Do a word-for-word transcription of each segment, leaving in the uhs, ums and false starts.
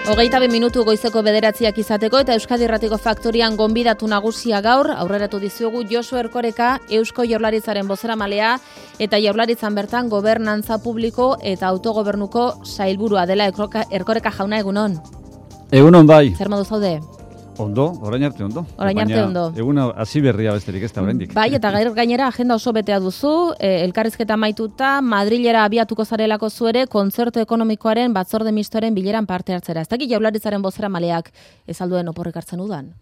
Hogeita bi minutu goizeko bederatziak izateko eta Euskadi Irratiko Faktorian gonbidatu nagusia gaur, aurreratu dizuegu Josu Erkoreka, Eusko Jaurlaritzaren bozeramalea eta Jaurlaritzan bertan gobernantza publiko eta autogobernuko sailburua dela. Erkoreka jauna, egunon. Egunon bai. Zer modu zaude? Ondo, orain arte ondo. Orain arte ondo. Eguna hasi berria besterik ez da oraindik. Bai, eta gair gainera agenda oso betea duzu, eh, elkarrizketa amaituta, Madrilera abiatuko zarelako zu ere, kontzertu ekonomikoaren batzorde mistoaren bileran parte hartzera. Ez dakit Jaurlaritzaren bozeramaleak ez alduen oporrik hartzen udan?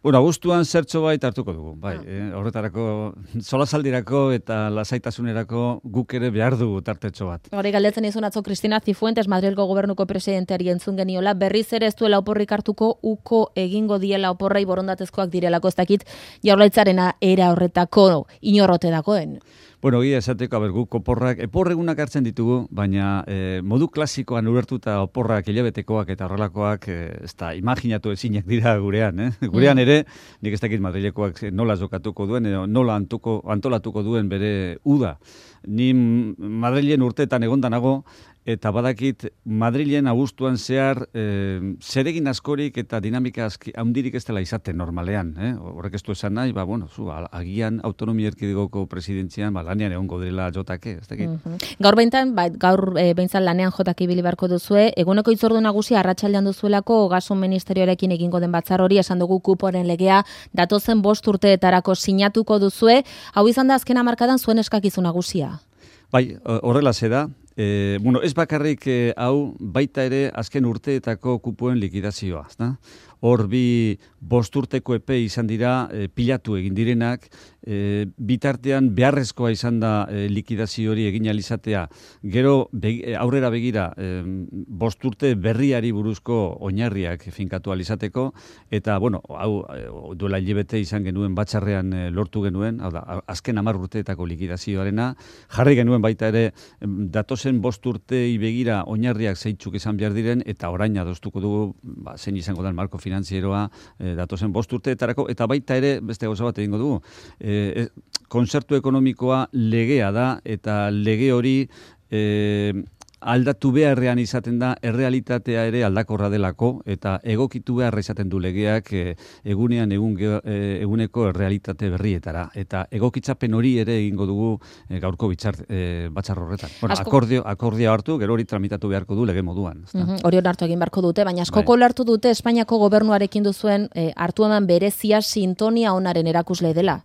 Bueno, abuztuan zertxo bait hartuko dugu, bai. Ah. Eh, horretarako, solasaldirako eta lasaitasunerako guk ere behar dugu tartetxo bat. Hori galdetzen izun atzo Cristina Cifuentes, Madrilgo gobernuko presidenteari entzun geniola, berriz ere ez duela oporrik hartuko, uko egingo diela oporrai borondatezkoak direlako, ez dakit Jaurlaritzarena era horretako inorrote dagoen. Bueno, gira esateko, aber, guk oporrak, eporregunak hartzen ditugu, baina eh, modu klasikoan ulertuta oporrak hilabetekoak eta horrelakoak, eh, ez da, imaginatu ezinak dira gurean, eh? Gurean ere, nik ez dakit Madrilekoak nola jokatuko duen, edo nola antuko, antolatuko duen bere uda. Ni Madrilen urteetan egondanago, eta badakit Madrilen abuztuan zehar e, zeregin askorik eta dinamika handirik ez dela izaten normalean. Eh? Horrek ez du esan nahi, ba, bueno, zu, agian autonomia erkidegoko presidentzian ba, lanean egongo dela jotake. Ez dakit. Mm-hmm. Gaur behintan, ba, gaur e, behintzan lanean jotake ibili beharko duzue, eguneko itzordu nagusia arratsaldean duzuelako Ogasun Ministerioarekin egingo den batzar hori, esan dugu kuporen legea, datozen bost urteetarako sinatuko duzue, hau izan da azken hamarkadan zuen eskakizu nagusia. Bai, horrela da. E, bueno, ez bakarrik e, hau baita ere azken urteetako kupoen likidazioa. Da? Hor bi bost urteko epe izan dira e, pilatu egin direnak, e, bitartean beharrezkoa izan da e, likidazio hori egin alizatea. Gero be, aurrera begira e, bost urte berriari buruzko oinarriak finkatu alizateko, eta bueno, hau e, duela hilabete izan genuen batzarrean e, lortu genuen, hau da, azken hamar urteetako likidazioarena, jarri genuen baita ere datozen bost urtei begira oinarriak zeitzuk izan behar diren, eta orain adostuko dugu, ba, zein izango da marko finanzieroa e, datozen bost urteetarako, eta baita ere, beste gauza bat egingo dugu, e, kontzertu ekonomikoa legea da, eta lege hori e, aldatu beharrean izaten da, errealitatea ere aldakorra delako, eta egokitu beharra izaten du legeak e, egunean egun, e, eguneko errealitate berrietara. Eta egokitzapen hori ere egingo dugu e, gaurko bitxar, e, batzar horretan. Bueno, asko... akordio, akordia hartu, gero hori tramitatu beharko du lege moduan. Mm-hmm. Hori hartu egin beharko dute, baina askoko bai. Lartu dute Espainiako gobernuarekin duzuen e, hartu eman berezia sintonia onaren erakusle dela.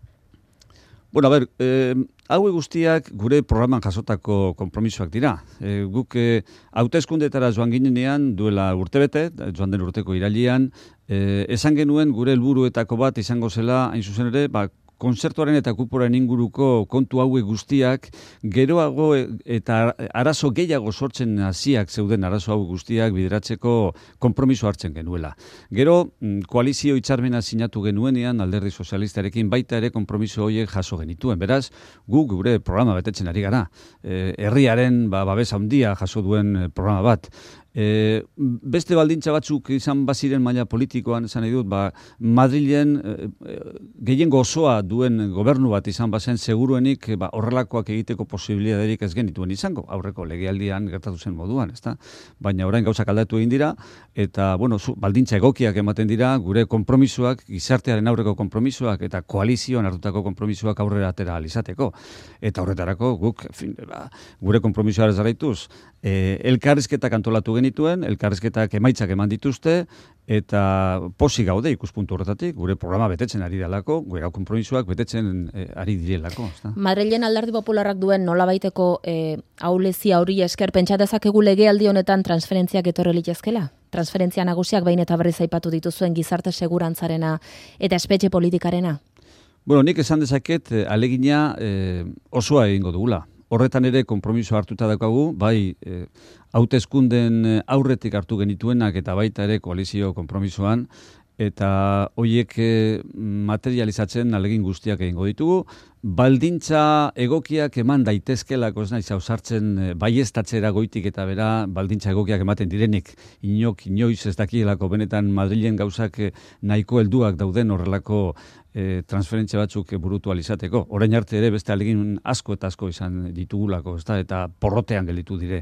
Bueno, a ber, eh, hau guztiak gure programan jasotako konpromisoak dira. E, guk e, hauteskundetara joan ginenean duela urtebete, joan den urteko irailean, e, esan genuen gure helburuetako bat izango zela, hain zuzen ere, ba, kontzertuaren eta kuporen inguruko kontu hauek guztiak, geroago eta arazo gehiago sortzen hasiak zeuden arazo hau guztiak bideratzeko konpromiso hartzen genuela. Gero, koalizio hitzarmena sinatu genuenean alderdi sozialistarekin baita ere konpromiso horiek jaso genituen. Beraz, gu gure programa betetzen ari gara. E, herriaren ba, babes handia jaso duen programa bat. E, beste baldintza batzuk izan baziren maila politikoan, esan nahi dut, ba, Madrilen e, gehiengo osoa duen gobernu bat izan bazen seguruenik ba, horrelakoak egiteko posibilitaterik ez genituen izango, aurreko legealdian gertatu zen moduan, ezta? Baina orain gauzak aldatu egin dira, eta bueno, zu, baldintza egokiak ematen dira, gure konpromisoak, gizartearen aurreko konpromisoak eta koalizioan hartutako konpromisoak aurrera atera alizateko. Eta horretarako guk, fin, ba, gure konpromisoa jarraituz, e, elkarrizketak antolatu genituen, elkarrizketak emaitzak eman dituzte, eta posi gaude ikuspuntu horretatik, gure programa betetzen ari delako, gure konpromisoak betetzen e, ari direlako. Madrilen alderdi popularrak duen nolabaiteko e, aulezia hori esker, pentsa dezakegu legealdi honetan transferentziak etorri litezkela? Transferentzia nagusiak behin eta berriz aipatu dituzuen gizarte segurantzarena eta espetxe politikarena? Bueno, nik esan dezaket alegina e, osoa egingo dugula. Horretan ere konpromiso hartuta daukagu, bai e, hauteskunden aurretik hartu genituenak eta baita ere koalizio konpromisoan, eta horiek materializatzen alegin guztiak egingo ditugu, baldintza egokiak eman daitezkelako, ez naiz ausartzen baieztatzera goitik eta bera baldintza egokiak ematen direnik. Inok, inoiz ez dakielako benetan Madrilen gauzak nahiko helduak dauden horrelako e, transferentzia batzuk burutu alizateko. Orain arte ere beste alegin asko eta asko izan ditugulako, ezta, eta porrotean gelditu dire.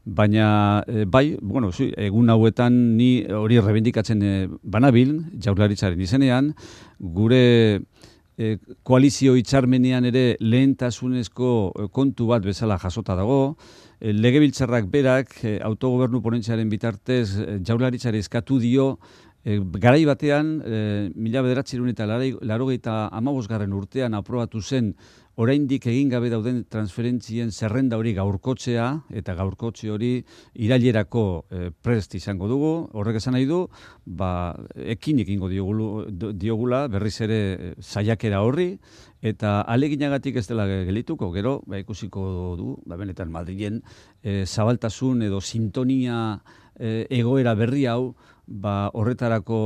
Baina, e, bai, bueno, zu, egun hauetan ni hori rebendikatzen e, banabil, Jaurlaritzaren izenean, gure e, koalizio hitzarmenean ere lehentasunezko kontu bat bezala jasota dago, e, legebiltzarrak berak e, autogobernu ponentziaren bitartez e, Jaurlaritzari eskatu dio E, garai batean, e, mila bederatziehun eta laurogeita hamabosgarren urtean aprobatu zen oraindik egin gabe dauden transferentzien zerrenda hori gaurkotzea, eta gaurkotze hori irailerako e, prest izango dugu. Horrek esan nahi du, ba, ekin ekingo diogula, diogula berriz ere saiakera horri, eta aleginagatik ez dela gelituko, gero, ba, ikusiko du, ba, benetan Madrilen e, zabaltasun edo sintonia e, egoera berri hau, ba, horretarako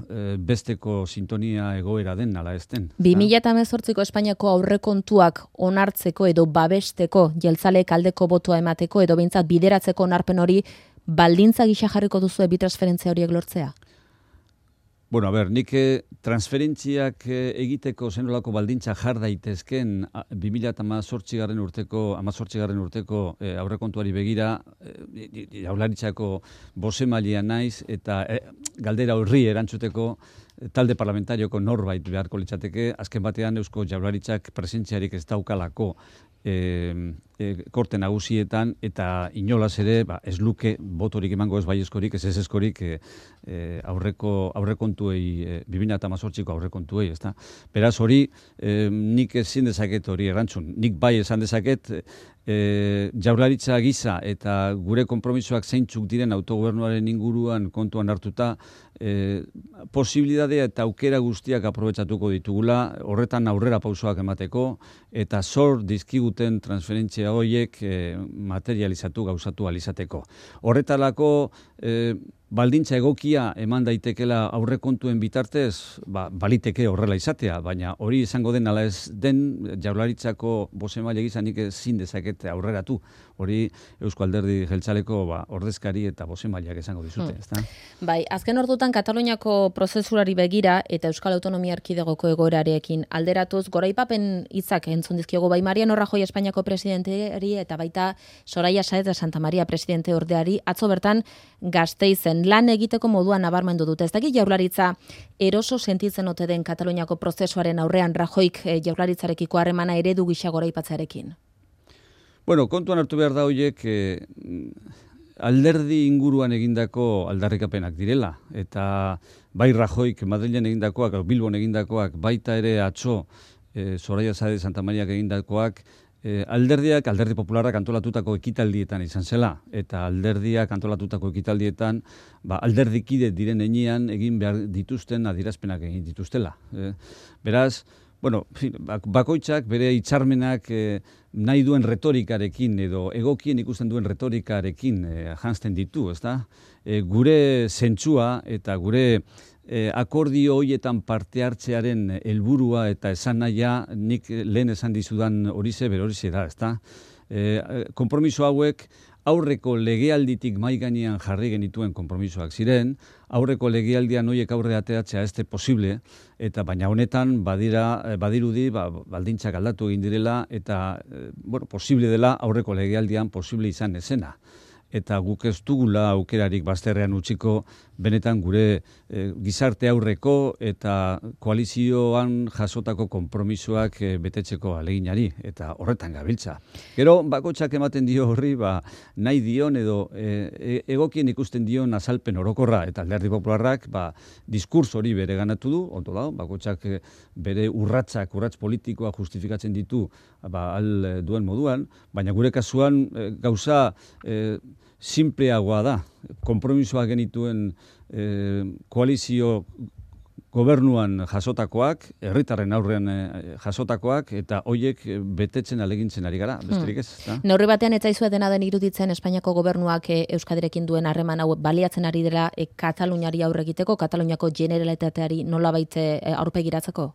e, besteko sintonia egoera den, ala ez den. bi mila hemezortziko Espainiako aurrekontuak onartzeko edo babesteko, jeltzaleek aldeko botoa emateko edo behintzat bideratzeko onarpen hori, baldintza gisa jarriko duzu bi transferentzia horiek lortzea? Bueno, a ber, nik transferentziak egiteko zenolako baldintza jar daitezken bi mila hemezortzigarren urteko, hemezortzigarren urteko e, aurrekontuari begira, e, Jaurlaritzako bozemailea naiz eta e, galdera horri erantzuteko talde parlamentarioko norbait beharko litzateke, azken batean Eusko Jaurlaritzak presentziarik ez daukalako E, e, korte nagusietan eta inolaz ere ba, ez luke botorik emango ez baiezkorik, ez ez eskorik e, e, aurreko aurrekontuei e, bi mila hemezortziko aurrekontuei, ezta. Beraz hori e, nik ezin dezaket hori erantzun. Nik bai esan dezaket e, Jaurlaritza gisa eta gure konpromisoak zeintzuk diren autogobernuaren inguruan kontuan hartuta e, posibilitatea eta aukera guztiak aprobetxatuko ditugula, horretan aurrera pausoak emateko eta zor dizkiguten transferentzia horiek e, materializatu, gauzatu alizateko. Horretarako e, baldintza egokia eman daitekela aurrekontuen bitartez, ba, baliteke horrela izatea, baina hori izango den ala ez den Jaurlaritzako bozemaile gisa nik ezin dezaket aurreratu. Hori Eusko Alderdi Jeltzaleko ba, ordezkari eta bozemaileak esango dizute, hmm. ezta? Bai, azken ordutan Kataluniako prozesurari begira eta Euskal Autonomia Erkidegoko egoerarekin alderatuz, goraipapen hitzak entzun dizkiogu bai Mariano Rajoy Espainiako presidenteari eta baita Soraya Sáez de Santa Maria presidente ordeari atzo bertan Gasteizen lan egiteko moduan nabarmendu dute. Ez dakit Jaurlaritza eroso sentitzen ote den Kataluniako prozesuaren aurrean Rajoyk eh, Jaurlaritzarekiko harremana eredu gisa goraipatzearekin. Bueno, kontuan hartu behar da horiek eh, alderdi inguruan egindako aldarrikapenak direla. Eta bai Rajoyk Madrilen egindakoak, Bilbon egindakoak, baita ere atzo eh, Soraya Sáez de Santa Mariak egindakoak, eh, alderdiak, alderdi popularrak antolatutako ekitaldietan izan zela. Eta alderdiak antolatutako ekitaldietan, ba, alderdikide diren enean egin behar dituzten adierazpenak egin dituztela. Eh, beraz, bueno, bakoitzak bere hitzarmenak eh, nahi duen retorikarekin edo egokien ikusten duen retorikarekin eh, janzten ditu, ezta? E, gure zentzua eta gure e, akordio hoietan parte hartzearen helburua eta esan nahia nik lehen esan dizudan horize bere horize da, ezta? E, konpromiso hauek aurreko legealditik mai gainean jarri genituen konpromisoak ziren, aurreko legealdian hoiek aurre ateratzea ez posible, eta baina honetan badira, badirudi ba, baldintzak aldatu egin direla eta bueno, posible dela aurreko legealdian posible izan ezena. Eta guk ez dugula aukerarik bazterrean utziko benetan gure e, gizarte aurreko eta koalizioan jasotako konpromisoak e, betetzeko aleginari eta horretan gabiltza. Gero bakoitzak ematen dio horri ba, nahi dion edo e, egokien ikusten dion azalpen orokorra eta Alderdi Popularrak ba, diskurs hori bere ganatu du, ondo da, bakoitzak e, bere urratsak, urrats politikoa justifikatzen ditu ba, al duen moduan, baina gure kasuan e, gauza e, simpleagoa da. Konpromisoa genituen eh, koalizio gobernuan jasotakoak, herritarren aurrean eh, jasotakoak, eta hoiek betetzen alegintzen ari gara, besterik ez. Da? Neurri batean ez zaizue dena den iruditzen Espainiako gobernuak eh, Euskadirekin duen harreman hau baliatzen ari dela eh, Kataluniari aurre egiteko, Kataluniako generalitateari nolabait eh, aurpegiratzeko?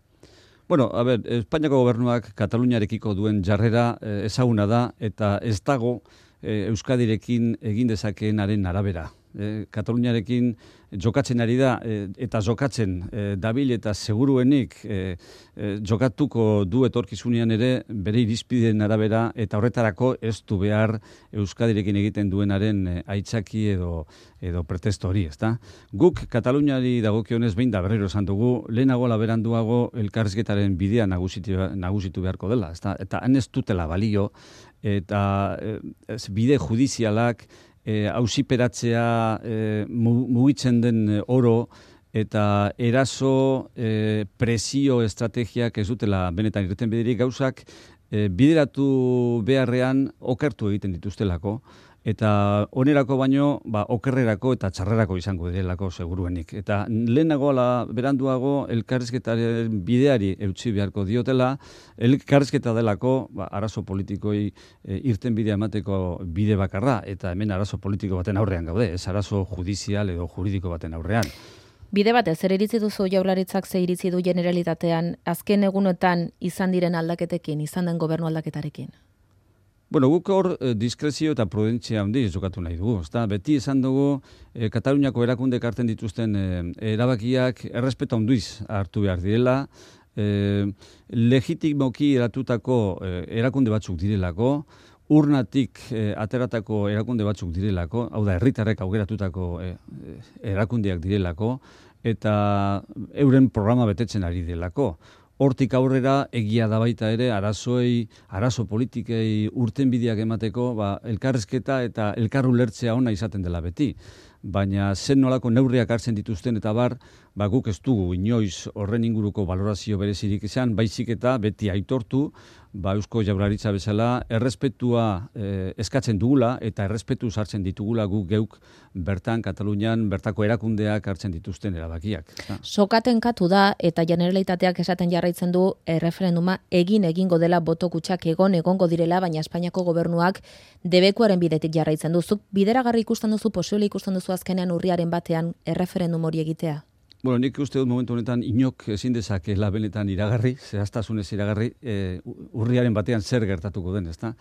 Bueno, a ber, Espainiako gobernuak Kataluniarekiko duen jarrera eh, ezaguna da eta ez dago eh, Euskadirekin egin dezakeenaren arabera. E, Kataluniarekin jokatzen ari da e, eta jokatzen e, dabil eta seguruenik e, e, jokatuko du etorkizunean ere bere irizpideen arabera eta horretarako ez du behar Euskadirekin egiten duenaren e, aitzaki edo edo pretesto hori, ezta? Guk Kataluniari dagokionez behin da berriro esan dugu, lehenago laberanduago elkarrizketaren bidea nagusitu, nagusitu beharko dela, ezta? Eta han ez dutela balio eta e, ez, bide judizialak hausiperatzea e, e, mugitzen den oro eta eraso e, presio estrategiak ez dutela benetan irten biderik gauzak e, bideratu beharrean okertu egiten dituztelako eta onerako baino ba, okerrerako eta txarrerako izango direlako seguruenik. Eta lehenago ala beranduago elkarrizketaren bideari eutsi beharko diotela, elkarrizketa delako ba, arazo politikoi e, irten bidea emateko bide bakarra eta hemen arazo politiko baten aurrean gaude, ez arazo judizial edo juridiko baten aurrean. Bide batez, zer iritzi duzu Jaurlaritzak ze iritzi du generalitatean azken egunotan izan diren aldaketekin, izan den gobernu aldaketarekin? Bueno, guk hor eh, diskrezio eta prudentzia handiz jokatu nahi dugu. Ezta? Beti esan dugu eh, Kataluniako erakundek hartzen dituzten eh, erabakiak errespetu handiz hartu behar direla, eh, legitimoki eratutako eh, erakunde batzuk direlako, urnatik eh, ateratako erakunde batzuk direlako, hau da, herritarrek augeratutako eh, erakundeak direlako, eta euren programa betetzen ari direlako. Hortik aurrera egia da baita ere arazoei, arazo politikei urtenbideak emateko, ba, elkarrizketa eta elkarrulertzea ona izaten dela beti. Baina zen nolako neurriak hartzen dituzten eta bar, ba, guk ez dugu inoiz horren inguruko valorazio berezirik izan, baizik eta beti aitortu, ba, Eusko Jaurlaritza bezala errespetua eh, eskatzen dugula eta errespetu sartzen ditugula guk geuk bertan Katalunian bertako erakundeak hartzen dituzten erabakiak. Sokaten katu da eta Generalitateak esaten jarraitzen du erreferenduma egin egingo dela boto kutxak egon egongo direla, baina Espainiako gobernuak debekuaren bidetik jarraitzen du. Zuk bideragarri ikusten duzu, posible ikusten duzu azkenean urriaren batean erreferendum hori egitea? Bueno, nik uste dut momentu honetan inok ezin dezakela benetan iragarri, zehaztasunez iragarri, e, urriaren batean zer gertatuko den, ezta?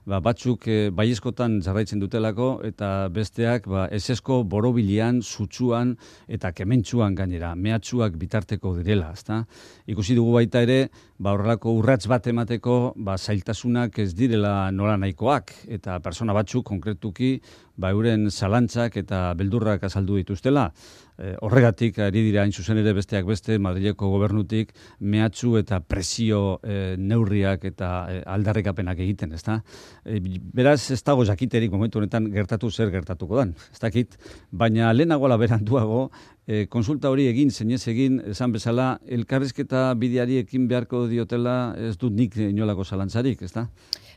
Ba, batzuk e, baiezkotan jarraitzen dutelako eta besteak ba, esesko borobilian, sutsuan eta kementsuan gainera, mehatxuak bitarteko direla, ezta? Ikusi dugu baita ere, ba, horrelako urrats bat emateko ba, zailtasunak ez direla nola nahikoak eta persona batzuk konkretuki ba, euren zalantzak eta beldurrak azaldu dituztela. E, horregatik ari dira hain zuzen ere besteak beste Madrileko gobernutik mehatxu eta presio e, neurriak eta e, aldarrikapenak egiten, ezta? E, beraz ez dago jakiterik momentu honetan gertatu zer gertatuko dan, ez dakit, baina lehenago ala beranduago e, konsulta hori egin, zinez egin, esan bezala, elkarrizketa bideari ekin beharko diotela ez dut nik inolako zalantzarik, ezta?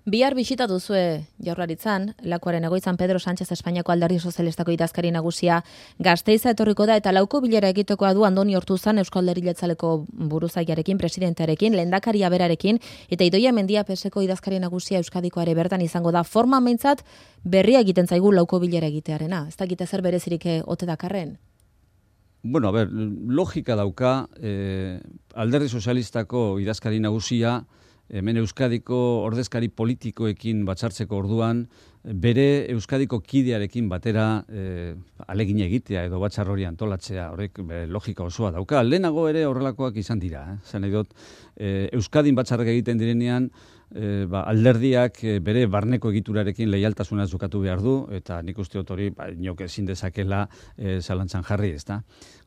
Bihar bisita duzue Jaurlaritzan, Lakuaren egoitzan Pedro Sánchez Espainiako Alderdi Sozialistako idazkari nagusia Gasteiza etorriko da eta lauko bilera egitekoa du Andoni Ortuzan Eusko Alderdi Jeltzaleko buruzaiarekin, presidentearekin, lehendakaria berarekin eta Idoia Mendia P S ko idazkari nagusia Euskadiko ere bertan izango da. Forma meintzat berria egiten zaigu lauko bilera egitearena. Ez dakite zer berezirik ote dakarren? Bueno, a ber, logika dauka eh, Alderdi Sozialistako idazkari nagusia hemen Euskadiko ordezkari politikoekin batzartzeko orduan, bere Euskadiko kidearekin batera e, alegin egitea edo batzar hori antolatzea, horrek be, logika osoa dauka. Lehenago ere horrelakoak izan dira. Eh? Zan nahi dut, e, Euskadin batzarrak egiten direnean, e, ba, alderdiak e, bere barneko egiturarekin leialtasuna jokatu behar du, eta nik uste dut hori ba, inok ezin dezakela e, zalantzan jarri, ezta.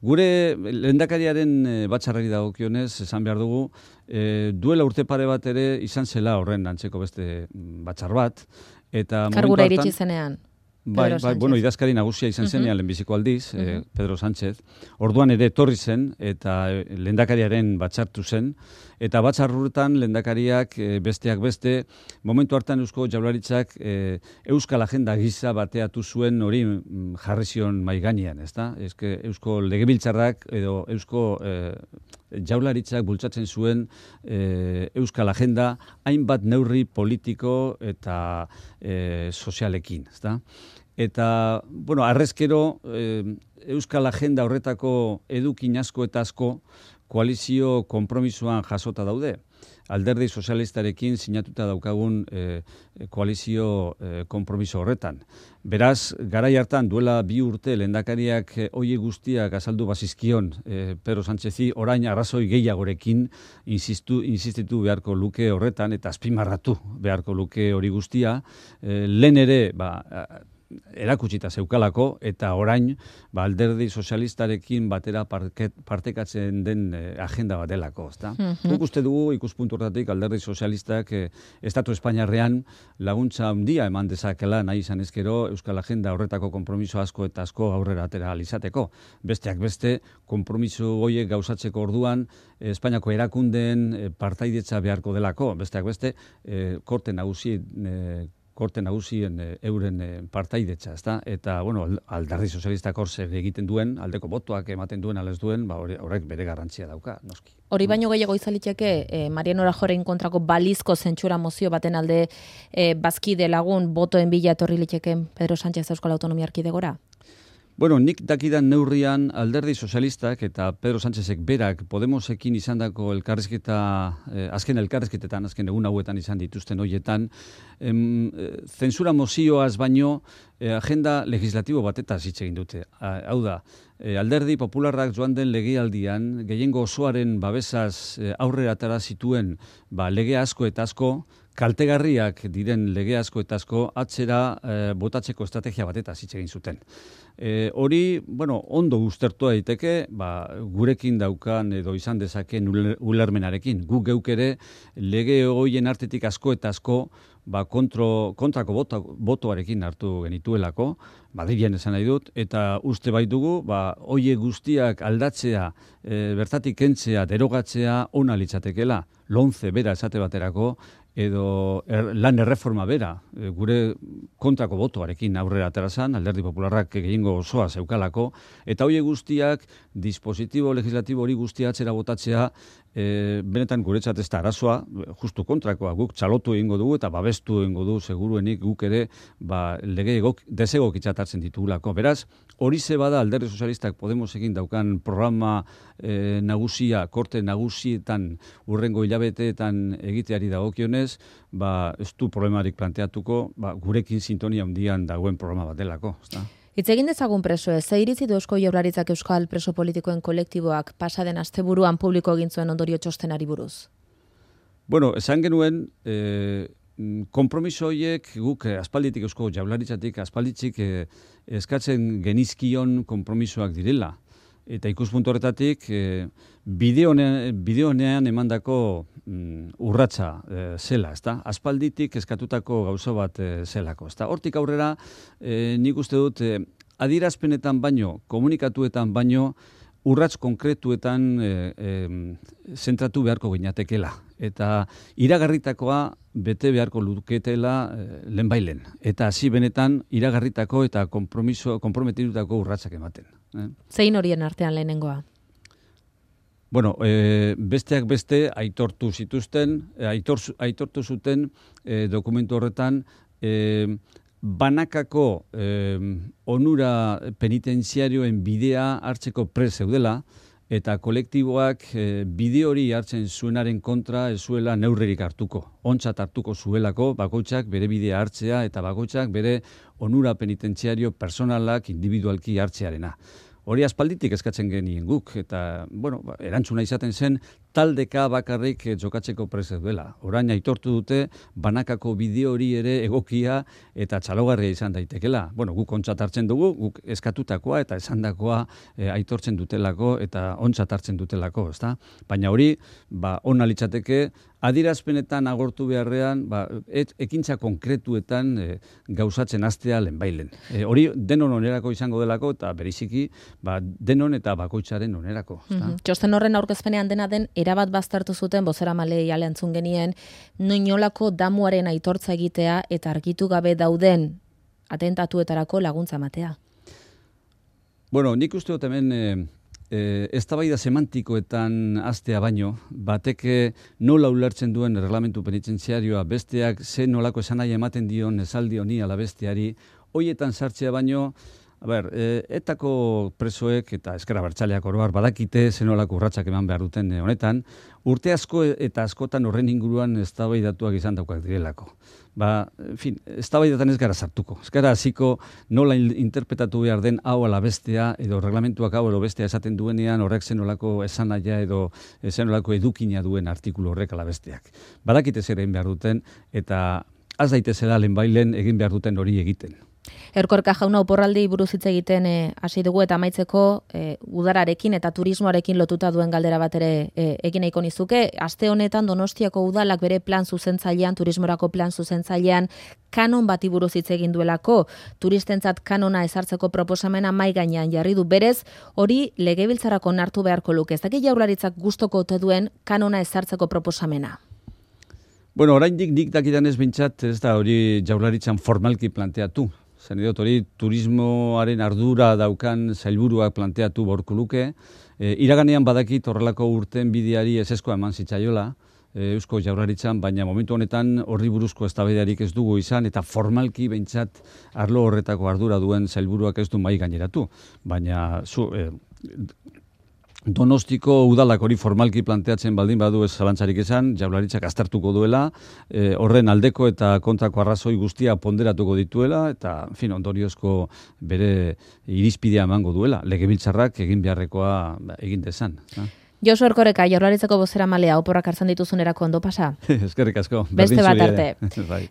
Gure lehendakariaren e, batzarrari dagokionez, esan behar dugu, e, duela urte pare bat ere izan zela horren antzeko beste batzar bat, eta kargura iritsi zenean. Bai, bai, bueno, idazkari nagusia izan zenean uh-huh. lehenbiziko aldiz, uh-huh. eh, Pedro Sánchez. Orduan ere etorri zen eta lehendakariaren batzartu zen. Eta batzarruretan lehendakariak eh, besteak beste, momentu hartan Eusko Jaurlaritzak eh, Euskal Agenda gisa bateatu zuen hori jarri zion mahai gainean, ezta? Eske Eusko Legebiltzarrak edo Eusko eh, Jaurlaritzak bultzatzen zuen eh, Euskal Agenda hainbat neurri politiko eta eh, sozialekin, ezta? Eta, bueno, arrezkero, eh, Euskal Agenda horretako edukin asko eta asko koalizio konpromisoan jasota daude. Alderdi sozialistarekin sinatuta daukagun e, koalizio e, konpromiso horretan. Beraz, garai hartan duela bi urte lehendakariak e, oie guztiak azaldu bazizkion e, Pedro Sánchezi orain arrazoi gehiagorekin insistu, insistitu beharko luke horretan eta azpimarratu beharko luke hori guztia. E, lehen ere, ba, erakutsita zeukalako eta orain ba, alderdi sozialistarekin batera parket, partekatzen den eh, agenda bat delako. Mm-hmm. Guk uste dugu ikuspuntu horretatik alderdi sozialistak eh, Estatu Espainiarrean laguntza handia eman dezakela nahi izan ezkero Euskal Agenda horretako konpromiso asko eta asko aurrera atera alizateko. Besteak beste, konpromiso horiek gauzatzeko orduan eh, Espainiako erakundeen eh, partaidetza beharko delako. Besteak beste, eh, korte nagusi eh, korte nagusien e, euren e, partaidetza, ezta? Eta, bueno, alderdi sozialistak hor zer egiten duen, aldeko botoak ematen duen, alez duen, ba, horrek bere garrantzia dauka, noski. Hori baino gehiago izaliteke, eh, Mariano Rajoyren kontrako balizko zentsura mozio baten alde eh, bazkide lagun botoen bila etorri liteken Pedro Sánchez Euskal Autonomia Erkidegora? Bueno, nik dakidan neurrian alderdi sozialistak eta Pedro Sánchezek berak Podemosekin izandako elkarrizketa, eh, azken elkarrizketetan, azken egun hauetan izan dituzten hoietan, em, eh, zensura mozioaz baino eh, agenda legislatibo batetaz hitz egin dute. Ah, hau da, eh, alderdi popularrak joan den legealdian, gehiengo osoaren babesaz eh, aurrera atera zituen ba, lege asko eta asko, kaltegarriak diren lege asko eta asko atzera eh, botatzeko estrategia batetaz hitz egin zuten. E, hori, bueno, ondo uztertua daiteke, ba, gurekin daukan edo izan dezaken ulermenarekin. Guk geuk ere lege hoien artetik asko eta asko ba, kontro, kontrako boto, botoarekin hartu genituelako, Madrilen esan nahi dut, eta uste baitugu, ba, hoie guztiak aldatzea, e, bertatik kentzea, derogatzea, ona litzatekela, lonze bera esate baterako, edo er, lan erreforma bera, e, gure kontrako botoarekin aurrera aterazan, alderdi popularrak gehiengo osoa zeukalako, eta hoie guztiak, dispositibo legislatibo hori guztia atzera botatzea, e, benetan guretzat ez da arazoa, justu kontrakoa, guk txalotu egingo dugu eta babestu egingo du seguruenik guk ere ba, lege egok, desegokitzat hartzen ditugulako. Beraz, hori ze bada alderdi sozialistak Podemosekin daukan programa e, nagusia, korte nagusietan urrengo hilabeteetan egiteari dagokionez, ba, ez du problemarik planteatuko, ba, gurekin sintonia handian dagoen programa bat delako. Ezta? Hitz egin dezagun presoez, ze iritzi du Eusko Jaurlaritzak Euskal preso politikoen kolektiboak pasaden asteburuan publiko egin zuen ondorio txostenari buruz? Bueno, esan genuen, eh, konpromiso horiek guk eh, aspalditik Eusko Jaurlaritzatik aspalditik eh, eskatzen genizkion konpromisoak direla. Eta ikuspuntu horretatik, eh, bideonean emandako mm, urratsa eh, zela, ezta? Aspalditik eskatutako gauzo bat eh, zelako, ezta? Hortik aurrera, eh, nik uste dut, eh, adierazpenetan baino, komunikatuetan baino, urrats konkretuetan eh, eh, zentratu beharko ginatekela. Eta iragarritakoa bete beharko luketela eh, lehenbailen. Eta hasi benetan iragarritako eta konpromiso, konprometitutako urratsak ematen. Eh? Zein horien artean lehenengoa? Bueno, e, besteak beste aitortu zituzten, aitor, aitortu zuten e, dokumentu horretan e, banakako e, onura penitenziarioen bidea hartzeko prest zeudela eta kolektiboak e, bide hori hartzen zuenaren kontra ez zuela neurririk hartuko. Ontzat hartuko zuelako bakoitzak bere bidea hartzea eta bakoitzak bere onura penitentziario personalak individualki hartzearena. Hori aspalditik eskatzen genien guk, eta, bueno, erantzuna izaten zen, taldeka bakarrik jokatzeko prest duela. Orain aitortu dute, banakako bideo hori ere egokia eta txalogarria izan daitekela. Bueno, guk ontzat hartzen dugu, guk eskatutakoa eta esandakoa e, aitortzen dutelako eta ontzat hartzen dutelako, ezta? Baina hori, ba, ona litzateke, adirazpenetan agortu beharrean, ba, et, ekintza konkretuetan e, gauzatzen hastea lehenbailen. E, hori denon onerako izango delako eta beriziki ba, denon eta bakoitzaren onerako. Mm-hmm. Txosten horren aurkezpenean dena den erabat baztertu zuten bozeramaileei alentzun genien noinolako damuaren aitortza egitea eta argitu gabe dauden atentatuetarako laguntza ematea. Bueno, nik uste dut hemen e, E, eztabaida semantikoetan hastea baino, batek nola ulertzen duen erreglamentu penitentziarioa, besteak ze nolako esanaia ematen dion esaldi honi ala besteari, hoietan sartzea baino, A ber, e, etako presoek eta ezker abertzaleak oro har badakite zenolako urratsak eman behar duten honetan, urte asko eta askotan horren inguruan eztabaidatuak izan daukak direlako. Ba, en fin, eztabaidatan ez gara sartuko. Ez gara hasiko nola interpretatu behar den hau ala bestea edo reglamentuak hau edo bestea esaten duenean horrek zenolako esanaia edo zenolako edukina duen artikulu horrek ala besteak. Badakite zer egin behar duten eta az daitezela lehenbailen egin behar duten hori egiten. Erkoreka jauna oporraldi buruz hitz egiten hasi dugu eta amaitzeko e, udararekin eta turismoarekin lotuta duen galdera bat ere e, egin nahiko nizuke. Aste honetan Donostiako udalak bere plan zuzentzailean, turismorako plan zuzentzailean kanon bati buruz hitz egin duelako, turistentzat kanona ezartzeko proposamena mai gainean jarri du. Berez, hori legebiltzarrako onartu beharko luke. Ez dakit Jaurlaritzak gustoko ote duen kanona ezartzeko proposamena. Bueno, oraindik nik dakidanez behintzat ez da hori Jaurlaritzan formalki planteatu. Zen dut hori turismoaren ardura daukan sailburuak planteatu borko luke. E, iraganean badakit horrelako urten bideari ezeskoa eman zitzaiola, e, Eusko Jaurlaritzan, baina momentu honetan horri buruzko eztabaidarik ez dugu izan, eta formalki behintzat arlo horretako ardura duen sailburuak ez du mai gaineratu. Baina zu... E, Donostiko udalak hori formalki planteatzen baldin badu ez zalantzarik esan, Jaurlaritzak aztertuko duela, e, horren aldeko eta kontrako arrazoi guztia ponderatuko dituela, eta en fin, ondoriozko bere irizpidea emango duela, legebiltzarrak egin beharrekoa egin dezan. Josu Erkoreka, Jaurlaritzako bozeramalea, oporrak hartzen dituzunerako ondo pasa? Eskerrik asko. Beste bat arte.